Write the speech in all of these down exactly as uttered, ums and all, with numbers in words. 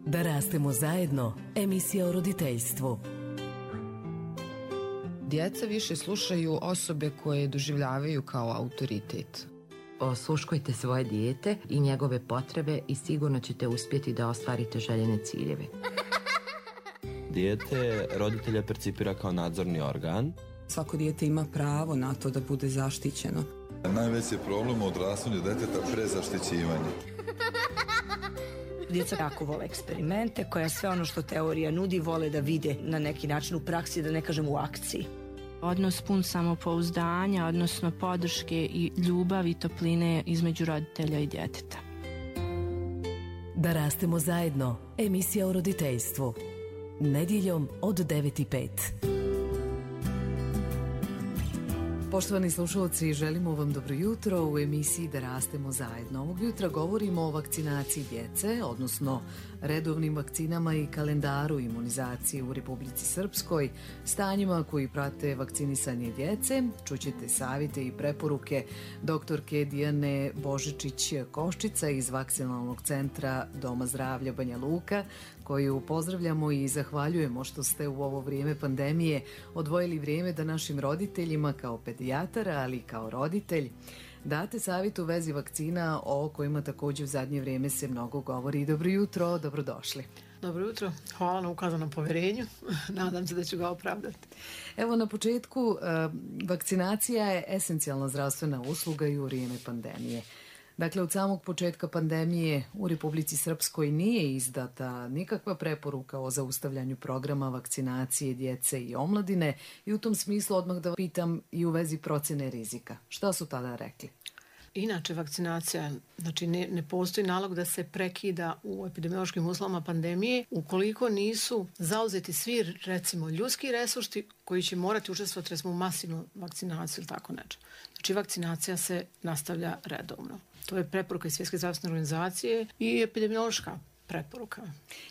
Da rastemo zajedno, emisija o roditeljstvu. Djeca više slušaju osobe koje doživljavaju kao autoritet. Osluškujte svoje dijete i njegove potrebe i sigurno ćete uspjeti da ostvarite željene ciljeve. Dijete roditelja percipira kao nadzorni organ. Svako dijete ima pravo na to da bude zaštićeno. Najveći problem u odrastanju djeteta prezaštićivanje. Djeca jako vole eksperimente, koja sve ono što teorija nudi vole da vide na neki način u praksi, da ne kažem u akciji. Odnos pun samopouzdanja, odnosno podrške i ljubavi i topline između roditelja i djeteta. Da rastemo zajedno, emisija o roditeljstvu. Nedjeljom od devet i pet. Poštovani slušalci, želimo vam dobro jutro u emisiji Da rastemo zajedno. Ovog jutra govorimo o vakcinaciji djece, odnosno redovnim vakcinama i kalendaru imunizacije u Republici Srpskoj, stanjima koji prate vakcinisanje djece. Čućete savjete i preporuke doktorke Dijane Božičić-Koščica iz Vakcinalnog centra Doma zdravlja Banja Luka, koju pozdravljamo i zahvaljujemo što ste u ovo vrijeme pandemije odvojili vrijeme da našim roditeljima kao pedijatara, ali i kao roditelj, date savjet u vezi vakcina o kojima također u zadnje vrijeme se mnogo govori. Dobro jutro, dobrodošli. Dobro jutro, hvala na ukazanom povjerenju, nadam se da ću ga opravdati. Evo na početku, vakcinacija je esencijalna zdravstvena usluga i u vrijeme pandemije. Dakle, od samog početka pandemije u Republici Srpskoj nije izdata nikakva preporuka o zaustavljanju programa vakcinacije djece i omladine i u tom smislu odmah da pitam i u vezi procjene rizika. Šta su tada rekli? Inače, vakcinacija, znači ne, ne postoji nalog da se prekida u epidemiološkim uslovima pandemije ukoliko nisu zauzeti svi, recimo, ljudski resursi koji će morati učestvovati, recimo, u masivnu vakcinaciju ili tako nešto. Znači, vakcinacija se nastavlja redovno. To je preporuka iz Svjetske zdravstvene organizacije i epidemiološka preporuka.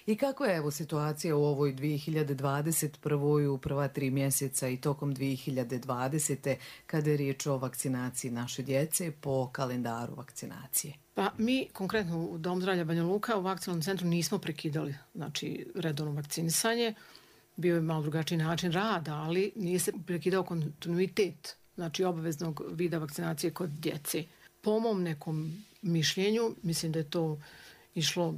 I kako je evo situacija u ovoj dvije hiljade dvadeset prvoj u prva tri mjeseca i tokom dvije hiljade dvadesete kada je riječ o vakcinaciji naše djece po kalendaru vakcinacije? Pa mi konkretno u Dom zdravlja Banja Luka u Vakcinalnom centru nismo prekidali, znači, redovno vakcinisanje. Bio je malo drugačiji način rada, ali nije se prekidao kontinuitet, znači obaveznog vida vakcinacije kod djece. Po mom nekom mišljenju, mislim da je to išlo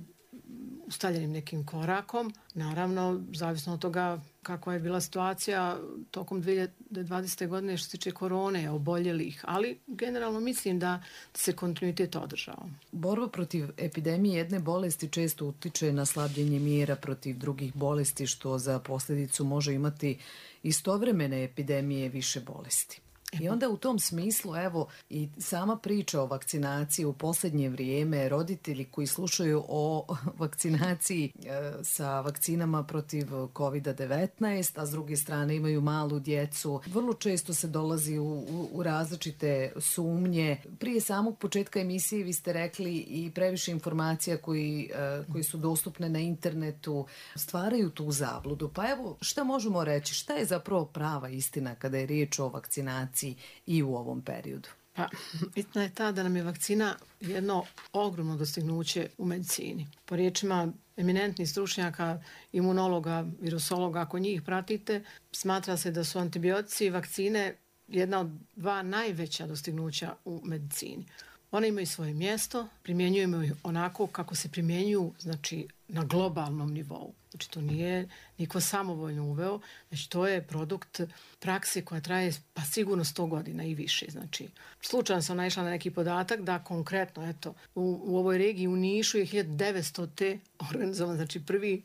ustaljenim nekim korakom. Naravno, zavisno od toga kakva je bila situacija tokom dvije hiljade dvadesete. godine što se tiče korone, oboljelih, ali generalno mislim da se kontinuitet održao. Borba protiv epidemije jedne bolesti često utiče na slabljenje mjera protiv drugih bolesti, što za posljedicu može imati istovremene epidemije više bolesti. I onda u tom smislu, evo, i sama priča o vakcinaciji u posljednje vrijeme, roditelji koji slušaju o vakcinaciji e, sa vakcinama protiv kovid devetnaest, a s druge strane imaju malu djecu, vrlo često se dolazi u, u, u različite sumnje. Prije samog početka emisije vi ste rekli i previše informacija koji, e, koji su dostupne na internetu stvaraju tu zabludu. Pa evo, šta možemo reći? Šta je zapravo prava istina kada je riječ o vakcinaciji i u ovom periodu? Pa, istina je ta da nam je vakcina jedno ogromno dostignuće u medicini. Po riječima eminentnih stručnjaka, imunologa, virusologa, ako njih pratite, smatra se da su antibiotici i vakcine jedna od dva najveća dostignuća u medicini. One imaju svoje mjesto, primjenjujemo ih onako kako se primjenjuju, znači, na globalnom nivou. Znači, to nije niko samovoljno uveo, znači to je produkt prakse koja traje pa sigurno sto godina i više. Znači, slučajno sam naišla na neki podatak da konkretno, eto, u, u ovoj regiji u Nišu je hiljadu devetstote organizovan, znači prvi,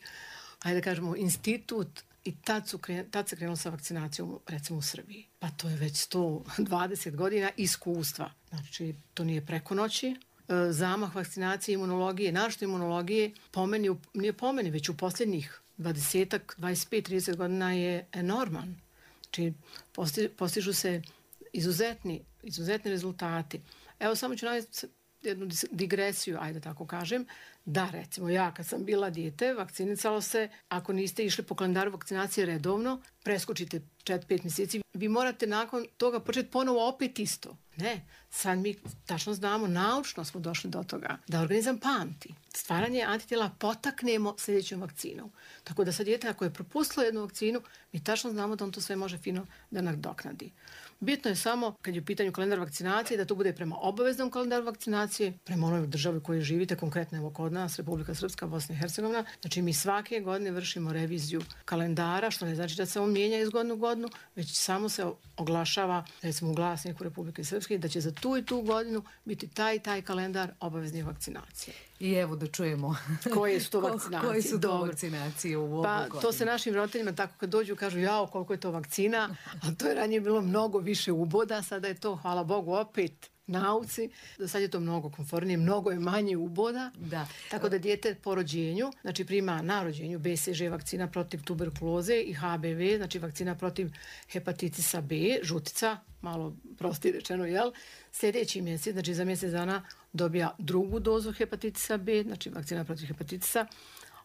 ajde da kažemo, institut. I tad, su kren, tad se krenulo sa vakcinacijom, recimo u Srbiji. Pa to je već sto dvadeset godina iskustva. Znači, to nije preko noći. E, zamah vakcinacije, imunologije, našto imunologije, pomeni, nije pomeni, već u posljednjih dvadeset, dvadeset pet, trideset godina je enorman. Znači, posti, postižu se izuzetni, izuzetni rezultati. Evo, samo ću navesti jednu digresiju, ajde tako kažem, da recimo ja kad sam bila dijete, vakcinicalo se, ako niste išli po kalendaru vakcinacije redovno, preskočite četiri pet mjeseci, vi morate nakon toga početi ponovo opet isto. Ne, sad mi tačno znamo, naučno smo došli do toga, da organizam pamti. Stvaranje antitijela potaknemo sljedećom vakcinom. Tako da sad dijete ako je propustilo jednu vakcinu, mi tačno znamo da on to sve može fino da nadoknadi. Bitno je samo, kad je u pitanju kalendar vakcinacije, da to bude prema obaveznom kalendaru vakcinacije, prema onoj državi u kojoj živite, konkretno evo kod nas, Republika Srpska, Bosna i Hercegovina. Znači mi svake godine vršimo reviziju kalendara, što ne znači da se on mijenja iz godine u godinu, već samo se oglašava, recimo u glasniku Republike Srpske, da će za tu i tu godinu biti taj taj kalendar obaveznih vakcinacije. I evo da čujemo koje su to vakcinacije. Koje su to vakcinacije u ovu pa, godinu. To se našim roditeljima tako kad dođu kažu jao koliko je to vakcina, a to je ranije bilo mnogo više uboda, sada je to, hvala Bogu, opet nauci, da sad je to mnogo komfornije, mnogo je manje uboda, da. Tako da dijete po rođenju, znači prima na rođenju B C G vakcina protiv tuberkuloze i H B V, znači vakcina protiv hepatitisa B, žutica, malo prosti rečeno, jel? Sljedeći mjesec, znači za mjesec dana dobija drugu dozu hepatitisa B, znači vakcina protiv hepatitisa,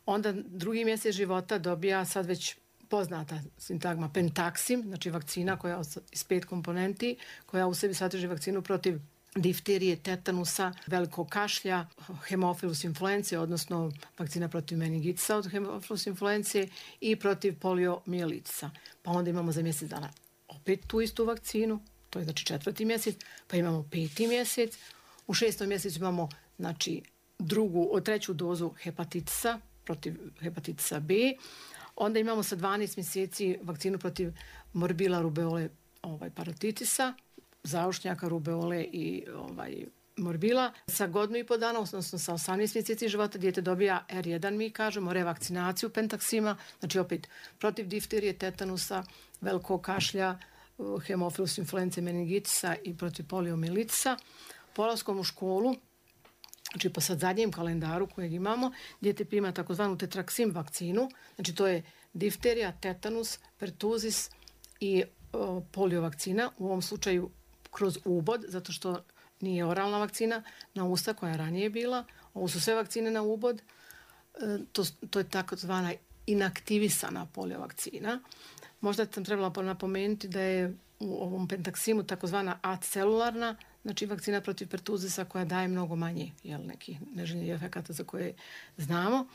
onda drugi mjesec života dobija sad već poznata sintagma Pentaxim, znači vakcina koja iz pet komponenti, koja u sebi sadrži vakcinu protiv difterije, tetanusa, velikog kašlja, hemofilus influence, odnosno vakcina protiv meningitisa od hemofilus influence i protiv poliomijelitica. Pa onda imamo za mjesec dana opet tu istu vakcinu, to je znači četvrti mjesec, pa imamo peti mjesec, u šestom mjesecu imamo znači drugu, treću dozu hepatitisa, protiv hepatitisa B, onda imamo sa dvanaest mjeseci vakcinu protiv morbila, rubeole, ovaj, parotitisa, zaušnjaka, rubeole i ovaj, morbila. Sa godinu i po dana, odnosno sa osamnaest mjeseci života, dijete dobija R jedan, mi kažemo, revakcinaciju Pentaxima, znači opet protiv difterije, tetanusa, velikog kašlja, hemofilus influence, meningitisa i protiv poliomilitisa. Polaskom u školu, znači po sad zadnjem kalendaru kojeg imamo, dijete prima takozvanu tetraksim vakcinu, znači to je difterija, tetanus, pertuzis i o, polio vakcina, u ovom slučaju kroz ubod, zato što nije oralna vakcina na usta koja je ranije bila, ovo su sve vakcine na ubod, e, to, to je takozvana inaktivisana polio vakcina. Možda sam trebala napomenuti da je u ovom Pentaximu takozvana acelularna, znači vakcina protiv pertuzisa koja daje mnogo manje, jel, nekih neželjenih efekata za koje znamo.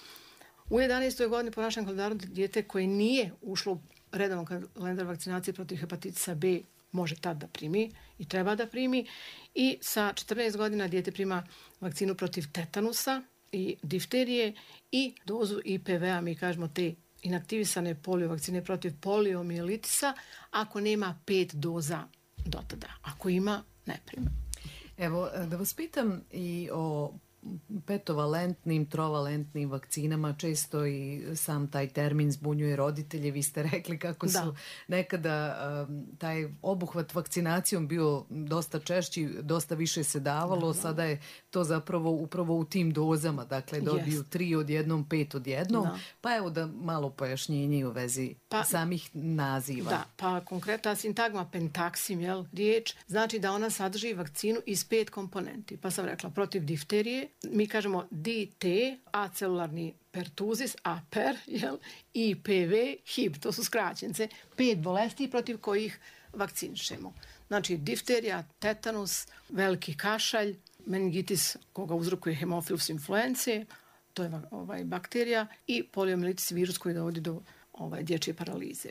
U jedanaestoj godini po našem kalendaru dijete koje nije ušlo u redovan kalendar vakcinacije protiv hepatitisa B može tad da primi i treba da primi. I sa četrnaest godina dijete prima vakcinu protiv tetanusa i difterije i dozu I P V-a, mi kažemo te inaktivisane polio vakcine protiv poliomijelitisa, ako nema pet doza do tada. Ako ima, ne prima. Evo, da vas pitam i o petovalentnim, trovalentnim vakcinama, često i sam taj termin zbunjuje roditelje. Vi ste rekli kako su da. nekada um, taj obuhvat vakcinacijom bio dosta češći, dosta više se davalo, da, da. Sada je to zapravo upravo u tim dozama, dakle dobiju yes. tri odjednom, pet odjednom, da. pa evo da malo pojašnjenje u vezi pa, samih naziva. Da, pa konkretna sintagma Pentaxim, jel, riječ, znači da ona sadrži vakcinu iz pet komponenti. Pa sam rekla, protiv difterije, mi kažemo D T, acelularni pertuzis, A P E R, jel, I P V, H I V, to su skraćence, pet bolesti protiv kojih vakcinišemo. Znači, difterija, tetanus, veliki kašalj, meningitis koga uzrokuje hemofilus influence, to je ovaj, bakterija, i poliomilitis, virus koji dovodi do ovaj, dječje paralize.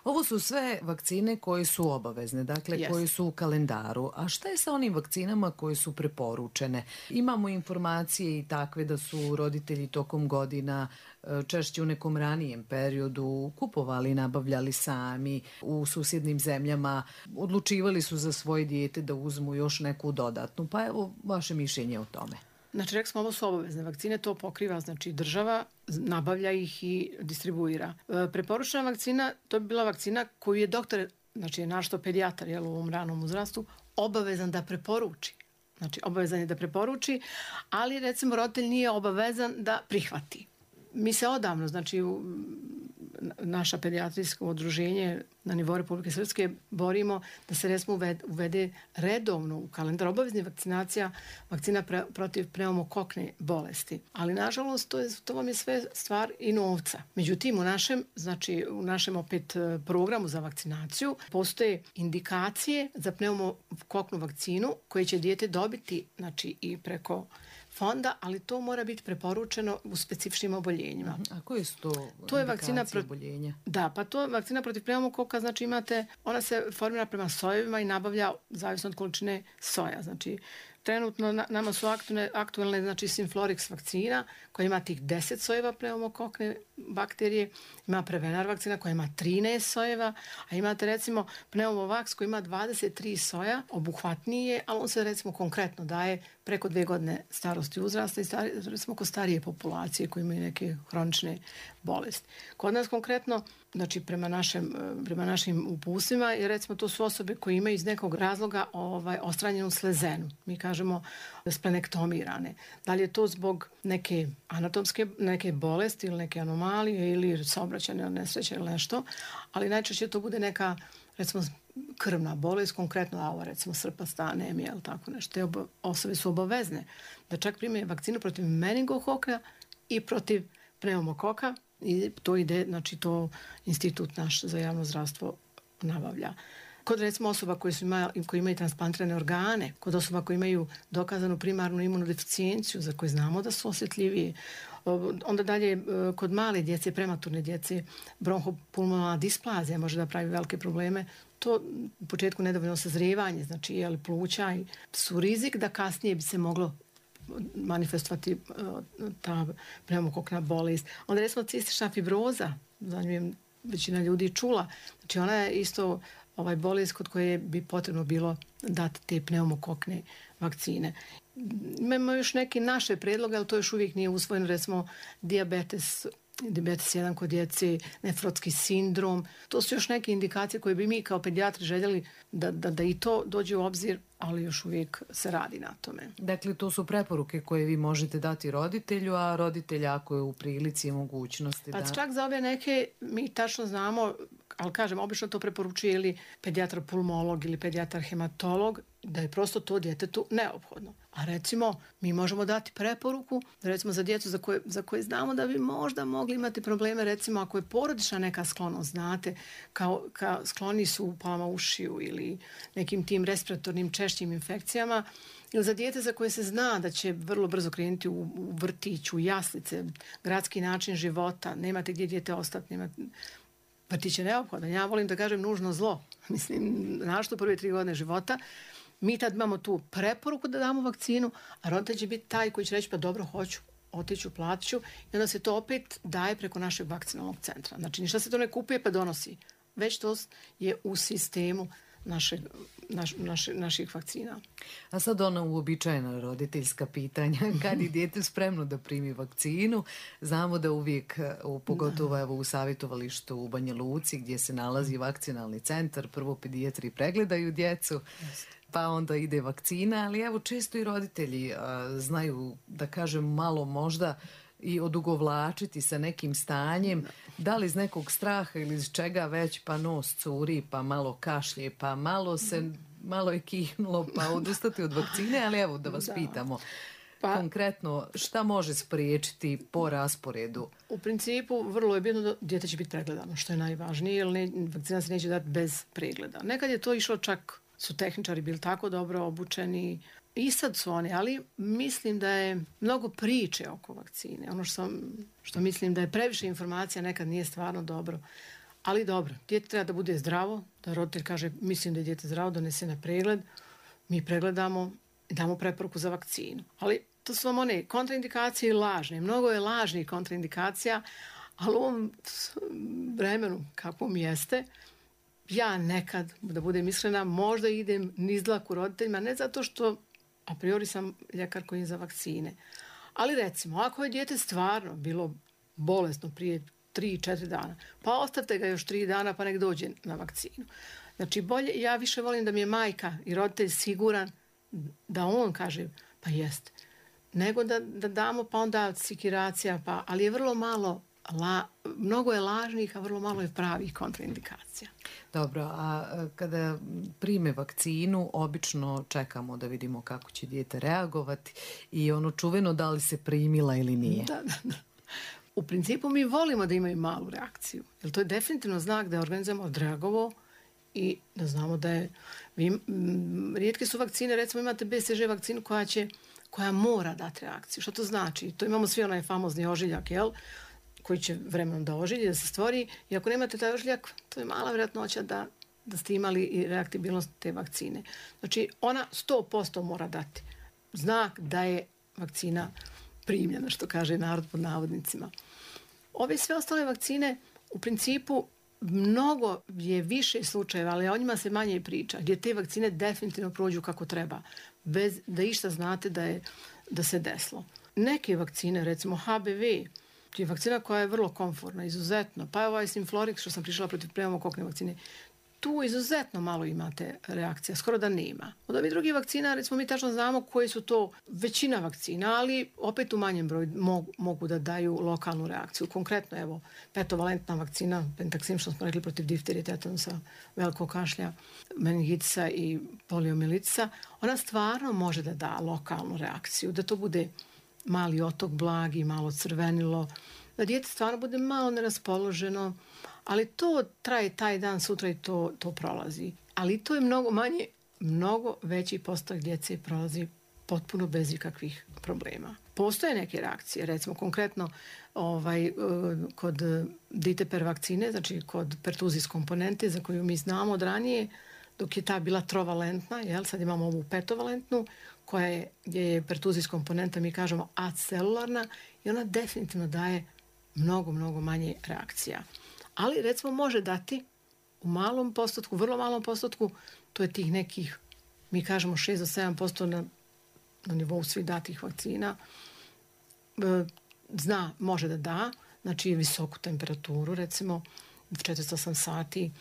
Ovo su sve vakcine koje su obavezne, dakle yes. koje su u kalendaru. A šta je sa onim vakcinama koje su preporučene? Imamo informacije i takve da su roditelji tokom godina češće u nekom ranijem periodu kupovali, nabavljali sami u susjednim zemljama, odlučivali su za svoje dijete da uzmu još neku dodatnu. Pa evo vaše mišljenje o tome. Znači, rekli smo, ovo su obavezne vakcine, to pokriva, znači država nabavlja ih i distribuira. E, preporučena vakcina, to bi bila vakcina koju je doktor, znači je našto pedijatar, jel, u ovom ranom uzrastu, obavezan da preporuči. Znači, obavezan je da preporuči, ali recimo roditelj nije obavezan da prihvati. Mi se odavno, znači u, naša pedijatrijsko udruženje na nivou Republike Srpske borimo da se recimo uvede, uvede redovno u kalendar obavezni vakcinacija, vakcina pre, protiv pneumokokne bolesti. Ali nažalost to, je, to vam je sve stvar i novca. Međutim, u našem, znači, u našem opet programu za vakcinaciju postoje indikacije za pneumokoknu vakcinu koje će dijete dobiti, znači, i preko fonda, ali to mora biti preporučeno u specifičnim oboljenjima. A koje su to, to je vakcina pro... oboljenja? Da, pa to je vakcina protiv pneumokoka, znači imate, ona se formira prema sojevima i nabavlja zavisno od količine soja. Znači, trenutno na, nama su aktualne, aktualne znači Synflorix vakcina koja ima tih deset sojeva pneumokokne bakterije, ima Prevenar vakcina koja ima trinaest sojeva, a imate recimo Pneumovax koji ima dvadeset tri soja, obuhvatnije, ali on se recimo konkretno daje preko dve godine starosti uzrasta i stari, recimo kod starije populacije koji imaju neke hronične bolesti. Kod nas konkretno, znači prema, našem, prema našim upustvima, je recimo to su osobe koje imaju iz nekog razloga ovaj, ostranjenu slezenu. Mi kažemo splenektomirane. Da li je to zbog neke anatomske neke bolesti ili neke anomalije ili saobraćajne nesreće ili nešto, ali najčešće to bude neka recimo krvna bolest, konkretno ova recimo srpasta anemija ili tako nešto. Te obo, osobe su obavezne da čak prime vakcinu protiv meningokoka i protiv pneumokoka i to ide, znači to institut naš za javno zdravstvo nabavlja. Kod recimo osoba koji, su ima, koji imaju transplantirane organe, kod osoba koji imaju dokazanu primarnu imunodeficijenciju za koje znamo da su osjetljiviji, onda dalje kod male djece, prematurne djece, bronhopulmonalna displazija može da pravi velike probleme. To u početku nedovoljno sazrijevanje, znači jeli pluća i su rizik da kasnije bi se moglo manifestovati ta pneumokokna bolest. Onda recimo cistična fibroza, za nju je većina ljudi čula, znači ona je isto ovaj bolest kod koje bi potrebno bilo dati te pneumokokne vakcine. Imamo još neke naše predloge, ali to još uvijek nije usvojeno, recimo dijabetes, dijabetes jedan kod djece, nefrotski sindrom. To su još neke indikacije koje bi mi kao pedijatri željeli da, da, da i to dođe u obzir, ali još uvijek se radi na tome. Dakle, to su preporuke koje vi možete dati roditelju, a roditelj ako je u prilici i mogućnosti pa da... čak za ove neke mi tačno znamo, ali kažem, obično to preporučuje ili pedijatar pulmolog ili pedijatar hematolog, da je prosto to djetetu neophodno. A recimo, mi možemo dati preporuku, recimo za djecu za koje, za koje znamo da bi možda mogli imati probleme, recimo ako je porodična neka sklonost, znate, kao, kao skloni su upalama ušiju ili nekim tim respiratornim češćim infekcijama, ili za dijete za koje se zna da će vrlo brzo krenuti u, u vrtić, u jaslice, gradski način života, nemate gdje dijete ostati, nemate... Vrtić je neophodan. Ja volim da kažem nužno zlo. Mislim, našto prve tri godine života, mi tad imamo tu preporuku da damo vakcinu, a roditelj će biti taj koji će reći pa dobro, hoću, otiću, platiću i onda se to opet daje preko našeg vakcinalnog centra. Znači, ništa se to ne kupuje pa donosi. Već to je u sistemu naše, naš, naše, naših vakcina. A sad ona uobičajena roditeljska pitanja. Kad je dijete spremno da primi vakcinu? Znamo da uvijek, pogotovo evo, u savjetovalištu u Banja Luci gdje se nalazi vakcinalni centar, prvo pedijatri pregledaju djecu, pa onda ide vakcina, ali evo često i roditelji a, znaju, da kažem, malo možda i odugovlačiti sa nekim stanjem, da li iz nekog straha ili iz čega već, pa nos curi, pa malo kašlje, pa malo se, malo je kihnulo, pa odustati od vakcine, ali evo da vas da. pitamo. Pa, konkretno, šta može spriječiti po rasporedu? U principu, vrlo je bitno da dijete će biti pregledano, što je najvažnije, jer ne, vakcina se neće dati bez pregleda. Nekad je to išlo, čak su tehničari bili tako dobro obučeni, i sad su oni, ali mislim da je mnogo priče oko vakcine. Ono što, što mislim da je previše informacija, nekad nije stvarno dobro. Ali dobro, dijete treba da bude zdravo, da roditelj kaže mislim da je dijete zdravo, donese na pregled, mi pregledamo i damo preporuku za vakcinu. Ali to su vam one kontraindikacije i lažne. Mnogo je lažnih kontraindikacija, ali u ovom vremenu kakvom jeste, ja nekad, da budem iskrena, možda idem niz dlaku roditeljima, ne zato što a priori sam ljekar koji je za vakcine. Ali recimo, ako je dijete stvarno bilo bolesno prije tri četiri dana, pa ostavite ga još tri dana pa nek dođe na vakcinu. Znači, bolje, ja više volim da mi je majka i roditelj siguran da on kaže pa jeste, nego da, da damo pa onda sikiracija, pa, ali je vrlo malo la, mnogo je lažnih, a vrlo malo je pravih kontraindikacija. Dobro, a kada prime vakcinu, obično čekamo da vidimo kako će dijete reagovati i ono čuveno da li se primila ili nije. Da, da, da. U principu mi volimo da imaju malu reakciju, jer to je definitivno znak da je organizam odreagovao i da znamo da je... Vi, m, rijetke su vakcine, recimo imate B C G vakcinu koja će, koja mora dati reakciju. Što to znači? To imamo svi onaj famozni ožiljak, jel? Koji će vremenom da ožilji, da se stvori. I ako nemate taj ožiljak, to je mala vjerojatnoća da, da ste imali i reaktibilnost te vakcine. Znači, ona sto posto mora dati znak da je vakcina primljena, što kaže narod pod navodnicima. Ove sve ostale vakcine, u principu, mnogo je više slučajeva, ali o njima se manje priča, gdje te vakcine definitivno prođu kako treba, bez da išta znate da, je, da se desilo. Neke vakcine, recimo H B V, je vakcina koja je vrlo komfortna, izuzetno. Pa je ovaj Synflorix, što sam prišla protiv pneumokokne vakcine, tu izuzetno malo imate reakcija, skoro da nema. Od ovih drugih vakcina, recimo mi tačno znamo koji su to većina vakcina, ali opet u manjem broju mogu, mogu da daju lokalnu reakciju. Konkretno, evo, petovalentna vakcina, Pentaxim, što smo rekli protiv difterije, tetanusa, velikog kašlja, meningitisa i poliomijelitisa, ona stvarno može da da lokalnu reakciju, da to bude mali otok blagi, malo crvenilo, da dijete stvarno bude malo neraspoloženo, ali to traje taj dan, sutra i to, to prolazi. Ali to je mnogo manje, mnogo veći postotak djece prolazi potpuno bez ikakvih problema. Postoje neke reakcije, recimo konkretno ovaj, kod diteper vakcine, znači kod pertuzis komponente za koju mi znamo od ranije, dok je ta bila trovalentna, jel, sad imamo ovu petovalentnu, koja je, gdje je pertuzis komponenta, mi kažemo acelularna i ona definitivno daje mnogo, mnogo manje reakcija. Ali recimo može dati u malom postotku, vrlo malom postotku, to je tih nekih, mi kažemo šest do sedam posto na, na nivou svih datih vakcina, zna, može da da, znači visoku temperaturu, recimo četristo osam sati,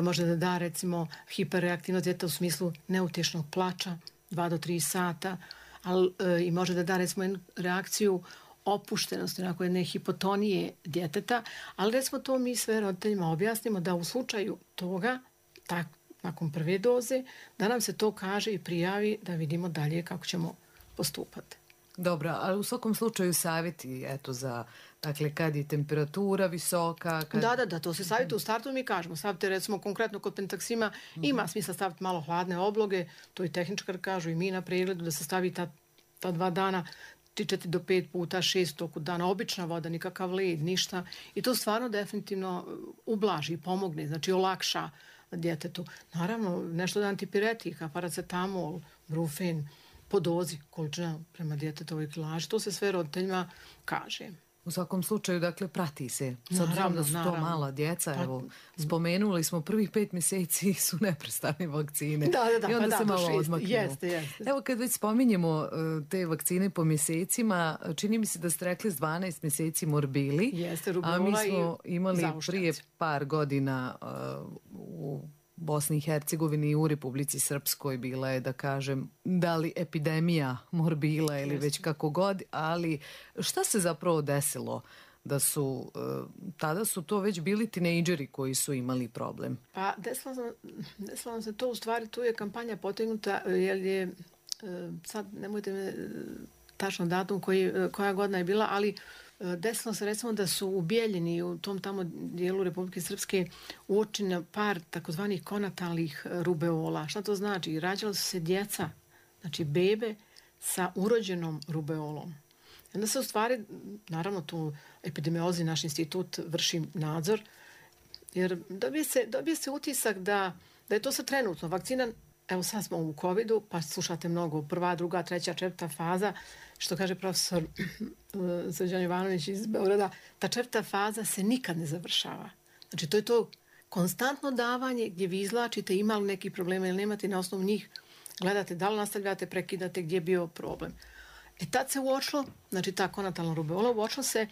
može da da recimo hiperreaktivnost djeteta u smislu neutješnog plača, dva do tri sata, ali i može da da recimo jednu reakciju opuštenosti, onako jedne hipotonije djeteta, ali recimo to mi sve roditeljima objasnimo da u slučaju toga, tak, nakon prve doze, da nam se to kaže i prijavi da vidimo dalje kako ćemo postupati. Dobro, ali u svakom slučaju savjeti, eto, za, dakle, kad je temperatura visoka... Kad... Da, da, da, to se savjeti u startu mi kažemo. Stavite, recimo, konkretno kod Pentaxima, ima mm-hmm. smisla staviti malo hladne obloge, to i tehničkar kažu i mi na pregledu, da se stavi ta, ta dva dana, tri, četiri do pet puta, šest toku dana, obična voda, nikakav led, ništa. I to stvarno definitivno ublaži i pomogne, znači olakša djetetu. Naravno, nešto da antipiretika, paracetamol, brufen, po dozi, količina prema djetetovoj kilaži, to se sve roditeljima kaže. U svakom slučaju, dakle, prati se. S obzirom da su to naravno. Mala djeca, pa, evo, spomenuli smo prvih pet mjeseci su neprestane vakcine. Da, da, da. I onda pa se da, malo odmaknemo. Jeste, jeste. Evo, kad već spominjemo te vakcine po mjesecima, čini mi se da ste rekli s dvanaest mjeseci morbili. Jeste, a mi smo imali prije par godina uh, u Bosni i Hercegovini i u Republici Srpskoj bila je, da kažem, da li epidemija morbila ili već kako god, ali šta se zapravo desilo da su, tada su to već bili tinejdžeri koji su imali problem? Pa desilo nam, desilo nam se to, u stvari tu je kampanja potegnuta, jer je, sad nemojte me tačno datum koji, koja godina je bila, ali desilo se recimo da su u Bijeljini, u tom tamo dijelu Republike Srpske, uočene par takozvanih konatalnih rubeola. Šta to znači? Rađala su se djeca, znači bebe sa urođenom rubeolom. I onda se u stvari, naravno tu epidemiolozi, naš institut vrši nadzor, jer dobije se, dobije se utisak da, da je to sad trenutno. Vakcina, evo sad smo u covidu, pa slušate mnogo, prva, druga, treća, četvrta faza, što kaže profesor Srđan Jovanović iz Beograda, ta četvrta faza se nikad ne završava. Znači, to je to konstantno davanje gdje vi izlačite, ima li neki problema ili nemate, na osnovu njih gledate da li nastavljate, prekidate, gdje je bio problem. E tad se uočilo, znači ta konatalna rubeola, uočilo se,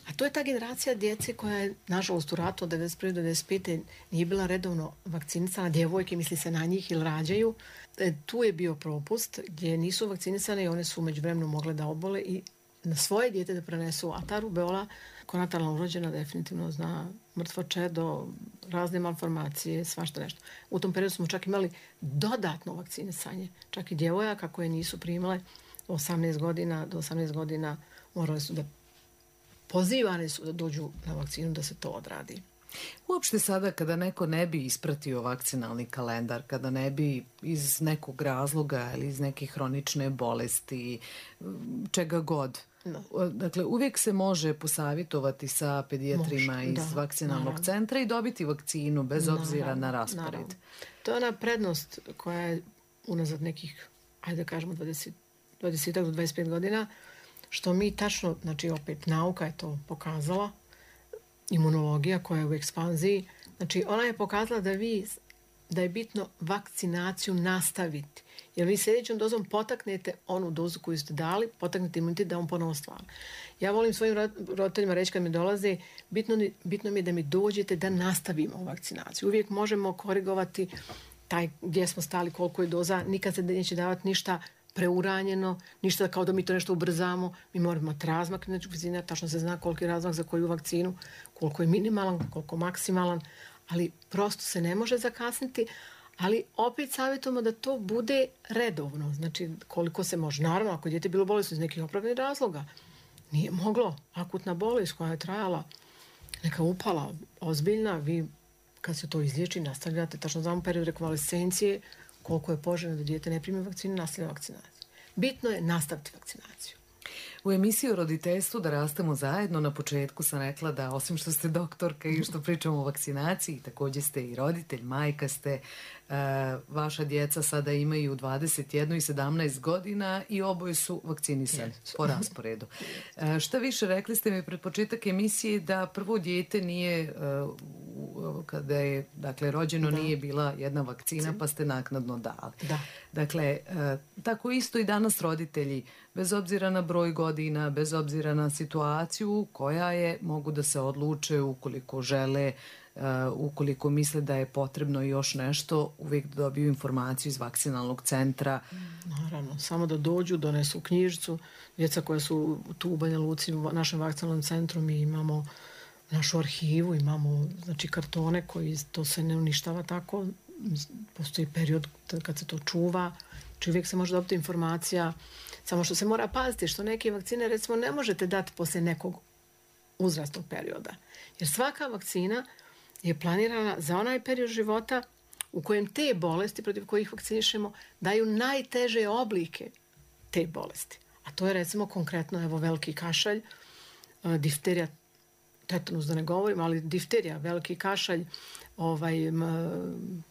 a to je ta generacija djece koja je, nažalost, u ratu od devedeset prve do devedeset pete nije bila redovno vakcinisana, djevojke, misli se na njih ili rađaju. E, tu je bio propust gdje nisu vakcinisane i one su međuvremeno mogle da obole i na svoje dijete da prenesu, a ta rubeola konatalno urođena definitivno zna mrtvo čedo, razne malformacije, svašta nešto. U tom periodu smo čak imali dodatno vakcinisanje, čak i djevojaka koje nisu primale osamnaest godina, do osamnaest godina morali su da pozivane su da dođu na vakcinu da se to odradi. Uopšte sada kada neko ne bi ispratio vakcinalni kalendar, kada ne bi iz nekog razloga ili iz neke hronične bolesti, čega god, no. Dakle, uvijek se može posavjetovati sa pedijatrima može, iz da, vakcinalnog naravno. centra i dobiti vakcinu bez naravno, obzira na raspored. Naravno. To je ona prednost koja je unazad nekih, ajde da kažemo, dvadeset, dvadeset do dvadeset pet godina, što mi tačno, znači opet nauka je to pokazala, imunologija koja je u ekspanziji, znači ona je pokazala da vi, da je bitno vakcinaciju nastaviti. Jer vi sljedećom dozom potaknete onu dozu koju ste dali, potaknete imunitet da on ponovo stvara. Ja volim svojim roditeljima reći kad mi dolaze, bitno, bitno mi je da mi dođete da nastavimo vakcinaciju. Uvijek možemo korigovati taj gdje smo stali, koliko je doza, nikad se neće davati ništa preuranjeno, ništa kao da mi to nešto ubrzamo. Mi moramo imati razmak, znači vakcina, tačno se zna koliki je razmak za koju vakcinu, koliko je minimalan, koliko maksimalan, ali prosto se ne može zakasniti, ali opet savjetujemo da to bude redovno, znači koliko se može. Naravno, ako je dijete bilo bolesno iz nekih opravdanih razloga, nije moglo, akutna bolest koja je trajala, neka upala ozbiljna, vi kad se to izliječi, nastavljate, tačno znamo period rekonvalescencije, koliko je poželjno da dijete ne primi vakcinu, nastavlja vakcinaciju. Bitno je nastaviti vakcinaciju. U emisiji o roditeljstvu Da rastemo zajedno na početku sam rekla da osim što ste doktorka i što pričamo o vakcinaciji, također ste i roditelj, majka ste, uh, vaša djeca sada imaju dvadeset jedan i sedamnaest godina i oboje su vakcinisani yes. po rasporedu. Uh, šta više, rekli ste mi pred početak emisije da prvo dijete nije, uh, kada je dakle, rođeno, da. nije bila jedna vakcina, pa ste naknadno dali. Da. Dakle, uh, tako isto i danas roditelji, bez obzira na broj godina, bez obzira na situaciju koja je, mogu da se odluče ukoliko žele, uh, ukoliko misle da je potrebno još nešto, uvijek da dobiju informaciju iz vakcinalnog centra. Naravno, samo da dođu, donesu knjižicu. Djeca koja su tu u Banja Luci, u našem vakcinalnom centru, mi imamo našu arhivu, imamo znači, kartone koji to se ne uništava tako. Postoji period kad se to čuva. Znači uvijek se može dobiti informacija. Samo što se mora paziti, što neke vakcine recimo ne možete dati poslije nekog uzrastnog perioda. Jer svaka vakcina je planirana za onaj period života u kojem te bolesti protiv kojih vakcinišemo daju najteže oblike te bolesti. A to je recimo konkretno evo veliki kašalj, difterija, tetanus da ne govorim, ali difterija, veliki kašalj, ovaj, m,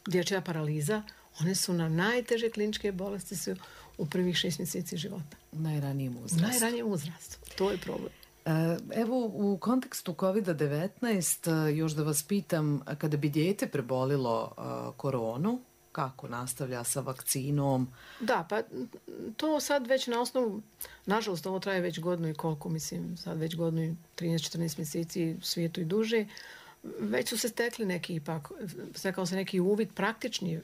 dječja paraliza, one su na najteže kliničke bolesti su u prvih šest mjeseci života. U najranijem uzrastu. U najranijem uzrastu. To je problem. Evo, u kontekstu kovid devetnaest, još da vas pitam, kada bi dijete prebolilo koronu, kako nastavlja sa vakcinom? Da, pa to sad već na osnovu, nažalost ovo traje već godinu i koliko, mislim, sad već godinu i trinaest četrnaest mjeseci u svijetu i duže, već su se stekli neki ipak, stekao se neki uvid praktični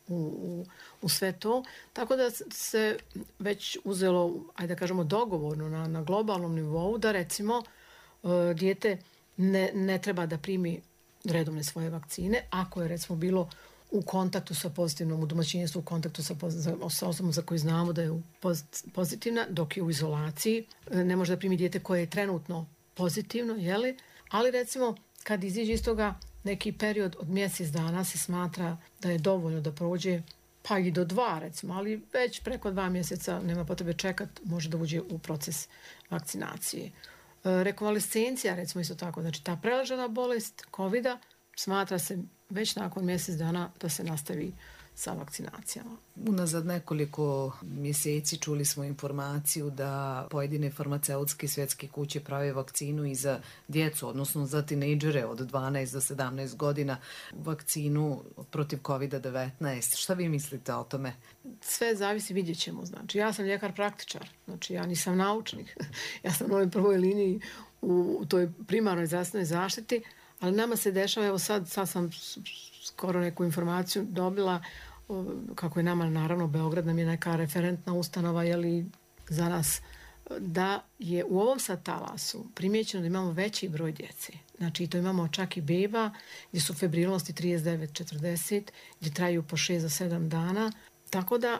U, u, u sve to, tako da se već uzelo, ajde da kažemo dogovorno na, na globalnom nivou da recimo uh, dijete ne, ne treba da primi redovne svoje vakcine ako je recimo bilo u kontaktu sa pozitivnom, u domaćinstvu u kontaktu sa, sa osobom za koju znamo da je pozitivna, dok je u izolaciji. Ne može da primi dijete koje je trenutno pozitivno, jeli? Ali recimo kad iziđe iz toga neki period od mjesec dana se smatra da je dovoljno da prođe, pa i do dva recimo, ali već preko dva mjeseca nema potrebe čekati, može da uđe u proces vakcinacije. E, rekonvalescencija recimo isto tako, znači ta preležana bolest kovida smatra se već nakon mjesec dana da se nastavi sa vakcinacijama. Unazad nekoliko mjeseci čuli smo informaciju da pojedine farmaceutske svjetske kuće prave vakcinu i za djecu, odnosno za tinejdžere od dvanaest do sedamnaest godina, vakcinu protiv kovid devetnaest. Šta vi mislite o tome? Sve zavisi, vidjet ćemo. Znači, ja sam ljekar praktičar, znači ja nisam naučnik. Ja sam u ovoj prvoj liniji u toj primarnoj zdravstvenoj zaštiti, ali nama se dešava, evo sad, sad sam skoro neku informaciju dobila, kako je nama, naravno, Beograd nam je neka referentna ustanova, jeli za nas da je u ovom sad talasu primjećeno da imamo veći broj djece. Znači, to imamo čak i beba gdje su febrilnosti trideset devet četrdeset, gdje traju po šest do sedam dana. Tako da,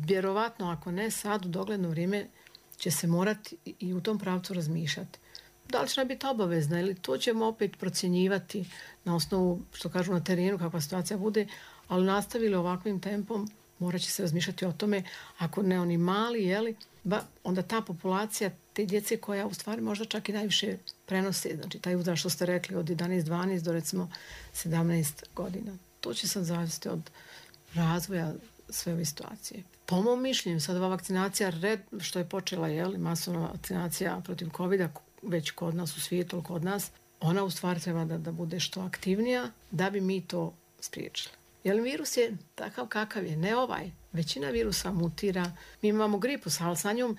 vjerovatno, ako ne sad, u dogledno vrijeme će se morati i u tom pravcu razmišljati. Da li će nam biti obavezna ili to ćemo opet procjenjivati na osnovu, što kažu na terenu, kakva situacija bude, ali nastavili ovakvim tempom, morat će se razmišljati o tome, ako ne oni mali, jeli, ba, onda ta populacija, te djece koja u stvari možda čak i najviše prenose, znači taj uzrast što ste rekli od jedanaest dvanaest do recimo sedamnaest godina. To će sad zavisiti od razvoja sve ove situacije. Po mom mišljenju, sad ova vakcinacija, red, što je počela, jeli, masovna vakcinacija protiv kovida, već kod nas u svijetu, kod nas, ona u stvari treba da, da bude što aktivnija da bi mi to spriječili. Jer virus je takav kakav je, ne ovaj. Većina virusa mutira. Mi imamo gripu, ali sa njom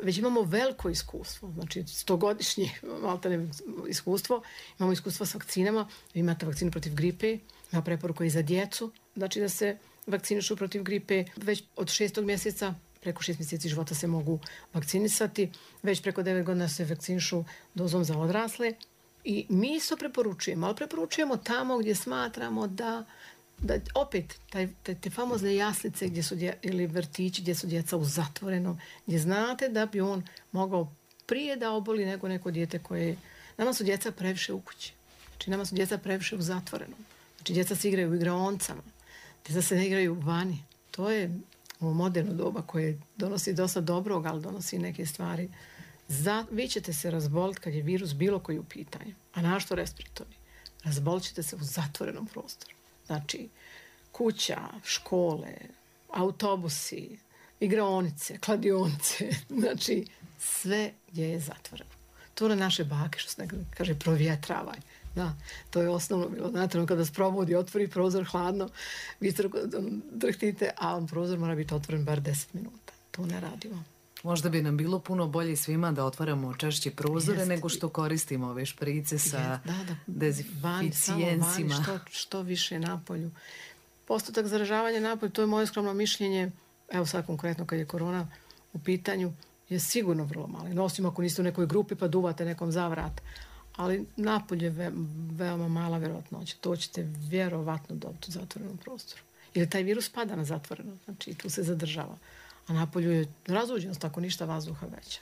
već imamo veliko iskustvo. Znači, stogodišnje maltene iskustvo. Imamo iskustvo s vakcinama. Vi imate vakcinu protiv gripe. Ima preporuka i za djecu. Znači da se vakcinišu protiv gripe već od šestog mjeseca. Preko šest mjeseci života se mogu vakcinisati. Već preko devet godina se vakcinišu dozom za odrasle. I mi isto preporučujemo, ali preporučujemo tamo gdje smatramo da da opet taj, te, te famozne jaslice gdje su dje, ili vrtići gdje su djeca u zatvorenom, gdje znate da bi on mogao prije da oboli nego neko dijete koje... Nama su djeca previše u kući. Znači nama su djeca previše u zatvorenom. Znači djeca se igraju u igraoncama. Djeca se ne igraju vani. To je ovo moderno doba koje donosi dosta dobrog, ali donosi neke stvari. Za, vi ćete se razboliti kad je virus bilo koji u pitanju. A našto respiratorni? Razbolit ćete se u zatvorenom prostoru. Znači, kuća, škole, autobusi, igraonice, kladionice, znači sve gdje je zatvoreno. To na naše bake, što se nekada kaže, provjetravaj. Da, to je osnovno bilo. Znate, kada se probudi, otvori prozor hladno, vi drhtite, a on prozor mora biti otvoren bar deset minuta. To ne radimo. Možda bi nam bilo puno bolje svima da otvaramo češće prozore Jest. nego što koristimo ove šprice sa da, da. dezinficijencima. Što, što više napolju. Postotak zaražavanja napolju, to je moje skromno mišljenje, evo sad konkretno kad je korona u pitanju, je sigurno vrlo mali. Osim ako niste u nekoj grupi pa duvate nekom za vrat. Ali napolje je ve, veoma mala vjerojatnoća. To ćete vjerovatno dobiti u zatvorenom prostoru. Jer taj virus pada na zatvoreno, znači tu se zadržava. A napolju je razuđenost, ako ništa vazduha veća.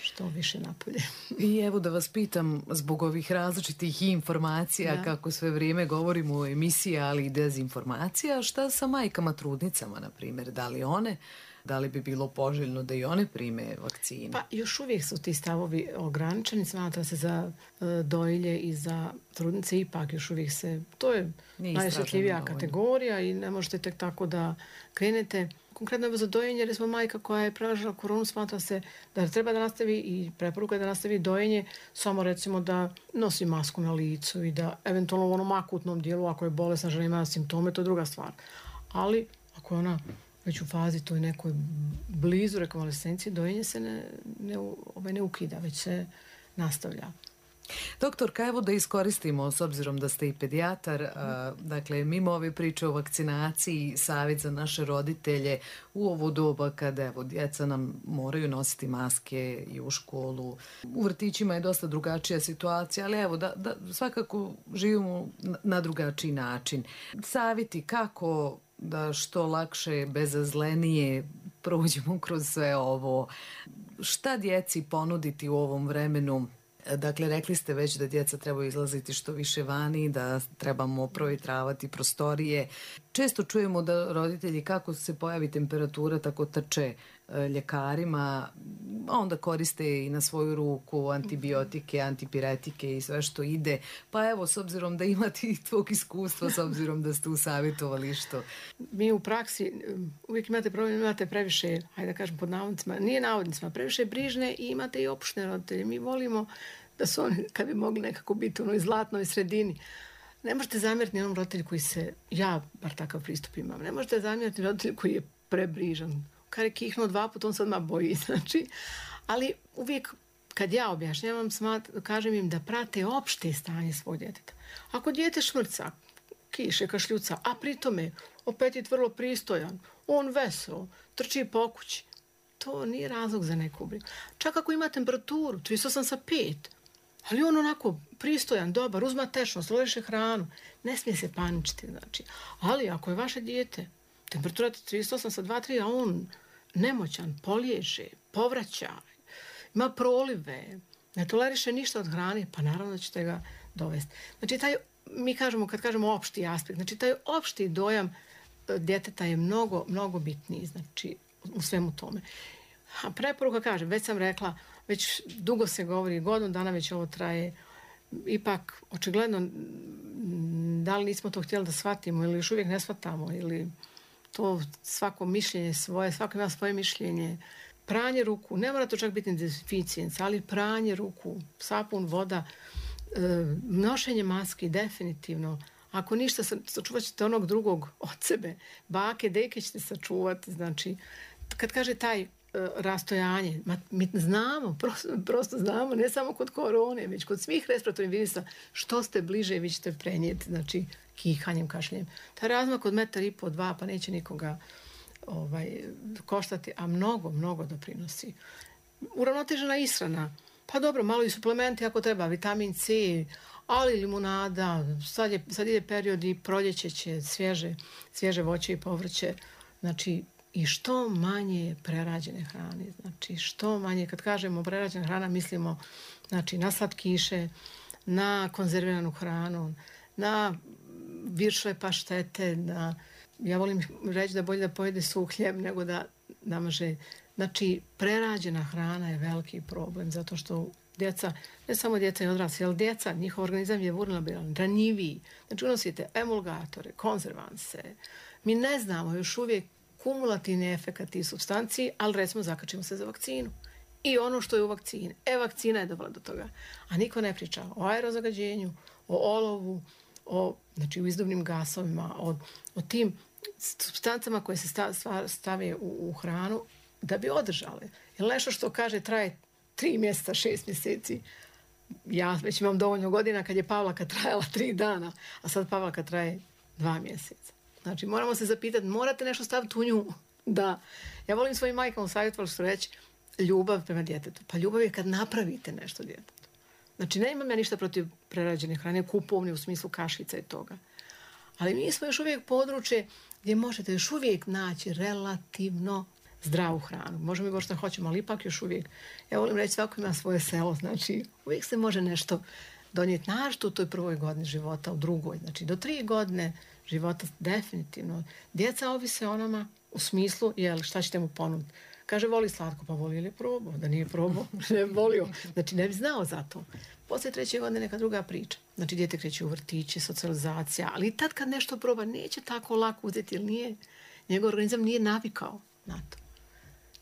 Što više napolje. I evo da vas pitam, zbog ovih različitih informacija, da. kako sve vrijeme govorimo o emisiji, ali i dezinformacija, šta sa majkama trudnicama, na primjer? Da li one, da li bi bilo poželjno da i one prime vakcine? Pa još uvijek su ti stavovi ograničeni, smatra se za uh, dojilje i za trudnice, ipak još uvijek se, to je najosjetljivija kategorija i ne možete tek tako da krenete. Konkretno za dojenje, jer smo majka koja je prelažila koronu, smatra se da treba da nastavi i preporuka je da nastavi dojenje, samo recimo da nosi masku na licu i da eventualno u onom akutnom dijelu, ako je bolesna žena ima simptome, to je druga stvar. Ali ako je ona već u fazi toj nekoj blizu rekonvalescenciji, dojenje se ne, ne, ovaj ne ukida, već se nastavlja. Doktorka, evo da iskoristimo, s obzirom da ste i pedijatar, a, dakle, mimo ove priče o vakcinaciji, savjet za naše roditelje u ovo doba kada, evo, djeca nam moraju nositi maske i u školu. U vrtićima je dosta drugačija situacija, ali evo, da, da svakako živimo na drugačiji način. Savjeti kako da što lakše, bezazlenije prođemo kroz sve ovo. Šta djeci ponuditi u ovom vremenu? Dakle, rekli ste već da djeca trebaju izlaziti što više vani, da trebamo provjetravati prostorije. Često čujemo da roditelji, kako se pojavi temperatura, tako trče ljekarima, onda koriste i na svoju ruku antibiotike, antipiretike i sve što ide. Pa evo, s obzirom da imate i tvog iskustva, s obzirom da ste u savjetovalištu. Mi u praksi uvijek imate problem, imate previše, hajde da kažem pod navodnicima, nije navodnicima, previše brižne i imate i opušne roditelje. Mi volimo da su oni, kad bi mogli nekako biti u onoj zlatnoj sredini. Ne možete zamjeriti ni onom roditelju koji se, ja bar takav pristup imam, ne možete zamjeriti roditelju koji je prebrižan. Kad je kihnuo dva puta, on se odmah boji. Znači, ali uvijek kad ja objašnjavam, smat, kažem im da prate opšte stanje svog djeteta. Ako dijete šmrca, kiše, kašljuca, a pritome apetit vrlo pristojan, on veselo, trči po kući, to nije razlog za neku brigu. Čak ako ima temperaturu, trideset osam sa pet, ali on onako pristojan, dobar, uzma tečnost, loješe hranu, ne smije se paničiti, znači. Ali ako je vaše dijete, temperatura trideset osam sa dva tri, a on nemoćan, poliježe, povraća, ima prolive, ne toleriše ništa od hrane, pa naravno da ćete ga dovesti. Znači, taj, mi kažemo, kad kažemo opšti aspekt, znači, taj opšti dojam djeteta je mnogo, mnogo bitniji, znači, u svemu tome. A preporuka, kažem, već sam rekla, već dugo se govori, godinu dana već ovo traje, ipak, očigledno, da li nismo to htjeli da shvatimo ili još uvijek ne shvatamo, ili to svako mišljenje svoje, svako ima svoje mišljenje. Pranje ruku, ne mora to čak biti dezinficijenca, ali pranje ruku, sapun, voda, e, nošenje maski, definitivno. Ako ništa, sačuvat ćete onog drugog od sebe. Bake, deke ćete sačuvati. Znači, kad kaže taj e, rastojanje, ma, mi znamo, prosto, prosto znamo, ne samo kod korone, već kod svih respiratornih virusa, što ste bliže, vi ćete prenijeti, znači, kihanjem, kašljenjem. Taj razmak od metar i po, dva, pa neće nikoga ovaj, koštati, a mnogo, mnogo doprinosi. Uravnotežena ishrana. Pa dobro, malo i suplementi ako treba, vitamin C, ali limunada, sad, je, sad ide period i proljeće će svježe, svježe voće i povrće. Znači, i što manje prerađene hrane. Znači, što manje, kad kažemo prerađena hrana, mislimo znači, na slatkiše, na konzerviranu hranu, na viršle paštete, na... Ja volim reći da bolje da pojede suh hljeb nego da namaže. Znači, prerađena hrana je veliki problem, zato što djeca, ne samo djeca i odrasli, ali djeca, njihov organizam je vulnerabilan, ranjiviji. Znači, unosite emulgatore, konzervanse. Mi ne znamo još uvijek kumulativni efekat tih supstanciji, ali recimo zakačimo se za vakcinu. I ono što je u vakcini. E, vakcina je dovela do toga. A niko ne priča o aerozagađenju, o olovu, o, znači, u izduvnim gasovima, o, o tim supstancama koje se stave u, u hranu da bi održale. Jer nešto što kaže traje tri mjeseca, šest mjeseci. Ja već imam dovoljno godina kad je Pavlaka trajala tri dana, a sad Pavlaka traje dva mjeseca. Znači, moramo se zapitati, morate nešto staviti u nju. Da. Ja volim svojim majkama savjetovati što reći ljubav prema djetetu. Pa ljubav je kad napravite nešto djetetu. Znači, ne imam ja ništa protiv prerađene hrane, kupovne u smislu kašica i toga. Ali mi smo još uvijek područje gdje možete još uvijek naći relativno zdravu hranu. Možemo mi govoriti što hoćemo, ali ipak još uvijek. Ja volim reći, svako ima svoje selo. Znači, uvijek se može nešto donijeti. Našto u toj prvoj godini života, u drugoj. Znači, do tri godine života definitivno. Djeca ovise o nama u smislu, jel, šta ćete mu ponuditi. Kaže, voli slatko, pa voli ili je probao. Da nije probao, ne volio. Znači, ne bi znao za to. Poslije treće godine neka druga priča. Znači, dijete kreće u vrtići, socijalizacija, ali i tad kad nešto proba, neće tako lako uzeti, jer nije, njegov organizam nije navikao na to.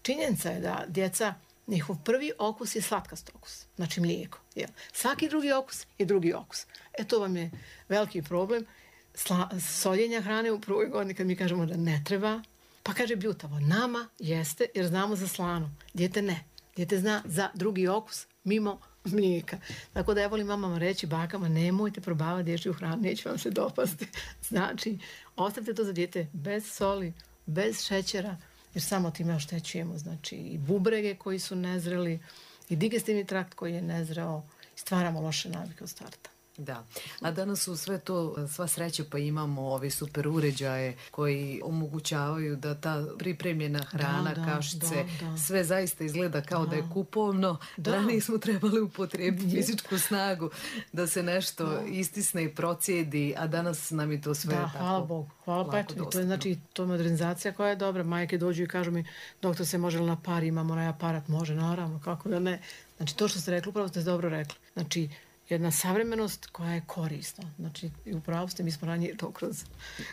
Činjenica je da djeca, njihov prvi okus je slatkast okus, znači mlijeko. Jel? Svaki drugi okus je drugi okus. E, to vam je veliki problem. Sla, soljenja hrane u prvoj godini, kad mi kažemo da ne treba, pa kaže bljutavo, nama jeste jer znamo za slano. Dijete ne. Dijete zna za drugi okus mimo mlijeka. Tako da ja volim mamama reći, bakama, nemojte probavati dječju hranu, neće vam se dopasti. Znači, ostavite to za dijete bez soli, bez šećera, jer samo time oštećujemo. Znači, i bubrege koji su nezreli, i digestivni trakt koji je nezreo, stvaramo loše navike od starta. Da, a danas su sve to, sva sreća, pa imamo ove super uređaje koji omogućavaju da ta pripremljena hrana, da, da, kašice, da, da. Sve zaista izgleda kao da, da je kupovno. Da. Ranije smo trebali upotrijebiti fizičku snagu da se nešto da. Istisne i procijedi, a danas nam je to sve da, tako. Hvala Bogu, hvala pa eto, to je znači to je modernizacija koja je dobra. Majke dođu i kažu mi, doktor, se može li na par, imamo onaj aparat, može, naravno, kako da ne. Znači, to što ste rekli, upravo ste dobro rekli. Znači, jedna savremenost koja je korisna. Znači, i upravo ste, mi smo ranije to kroz,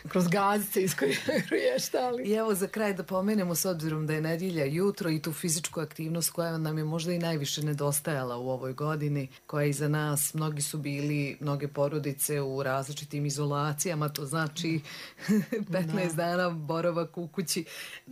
kroz gazice iskorještali. I evo za kraj da pomenemo, s obzirom da je nedjelja jutro i tu fizičku aktivnost koja nam je možda i najviše nedostajala u ovoj godini, koja je iza nas, mnogi su bili, mnoge porodice u različitim izolacijama, to znači petnaest da. Dana boravak u kući,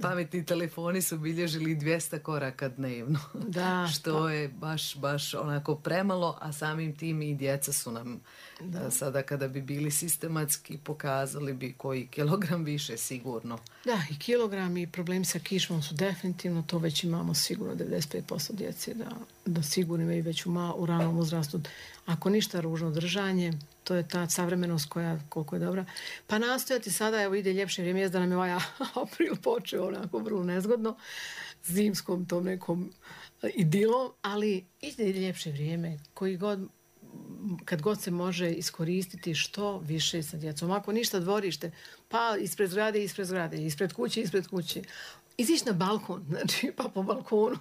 pametni telefoni su bilježili dvjesto koraka dnevno. Da. Što da. Je baš, baš onako premalo, a samim tim tim i djeca su nam da. sada kada bi bili sistematski pokazali bi koji kilogram više sigurno. Da, i kilogram i problemi sa kišmom su definitivno, to već imamo sigurno devedeset pet posto djece da, da sigurno imaju već u, ma, u ranom uzrastu. Ako ništa, ružno držanje, to je ta savremenost koja koliko je dobra. Pa nastojati sada, evo ide ljepše vrijeme, da nam je ovaj april počeo onako vrlo nezgodno, zimskom tom nekom idilom, ali ide ljepše vrijeme koji god, kad god se može iskoristiti što više sa djecom. Ako ništa dvorište, pa ispred zgrade, ispred zgrade, ispred kuće, ispred kuće. Izići na balkon, znači pa po balkonu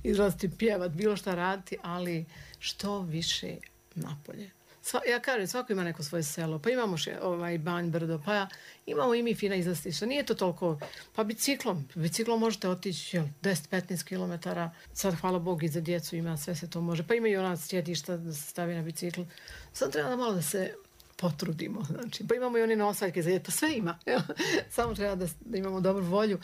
izlaziti, pjevat, bilo šta raditi, ali što više napolje. Sva, ja kažem, svako ima neko svoje selo, pa imamo še, ovaj, Banj, Brdo, pa ja, imamo i mi fina izlastišta. Nije to toliko, pa biciklom, biciklom možete otići jel, deset do petnaest kilometara, sad hvala Bogu i za djecu ima, sve se to može, pa ima i ona sjedišta da se stavi na bicikl. Sad treba da malo da se potrudimo, znači, pa imamo i one nosaljke za djecu, pa sve ima, jel? Samo treba da, da imamo dobru volju,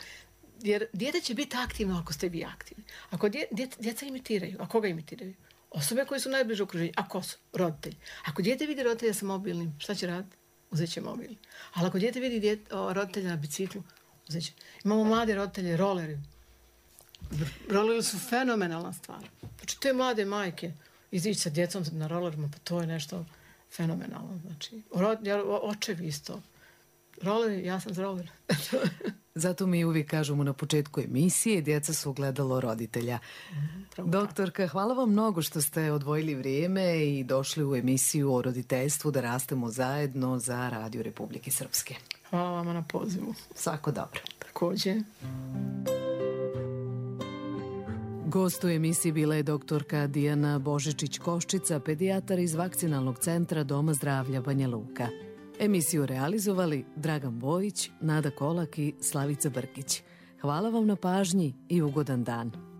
jer dijete će biti aktivno ako ste vi aktivni. Ako dje, dje, djeca imitiraju, a koga imitiraju? Osobe koji su najbliže okruženju. A ko su? Roditelji. Ako dijete vidi roditelja sa mobilnim, šta će raditi? Uzet će mobilni. Ali ako dijete vidi dijete, o, roditelja na biciklu, uzet će. Imamo mlade roditelje, roleri. Roleri su fenomenalna stvar. Znači, te mlade majke izići sa djecom na rolerima, pa to je nešto fenomenalno. Znači, rod, ja, očevi isto. Roleri, ja sam za roler. Zato mi uvijek kažemo na početku emisije, djeca su ogledalo roditelja. Mm, Doktorka, hvala vam mnogo što ste odvojili vrijeme i došli u emisiju o roditeljstvu da rastemo zajedno za Radio Republike Srpske. Hvala vama na pozivu. Svako dobro. Također. Gost u emisiji bila je doktorka Dijana Božičić-Koščica, pedijatar iz Vakcinalnog centra Doma zdravlja Banja Luka. Emisiju realizovali Dragan Bojić, Nada Kolak i Slavica Brkić. Hvala vam na pažnji i ugodan dan.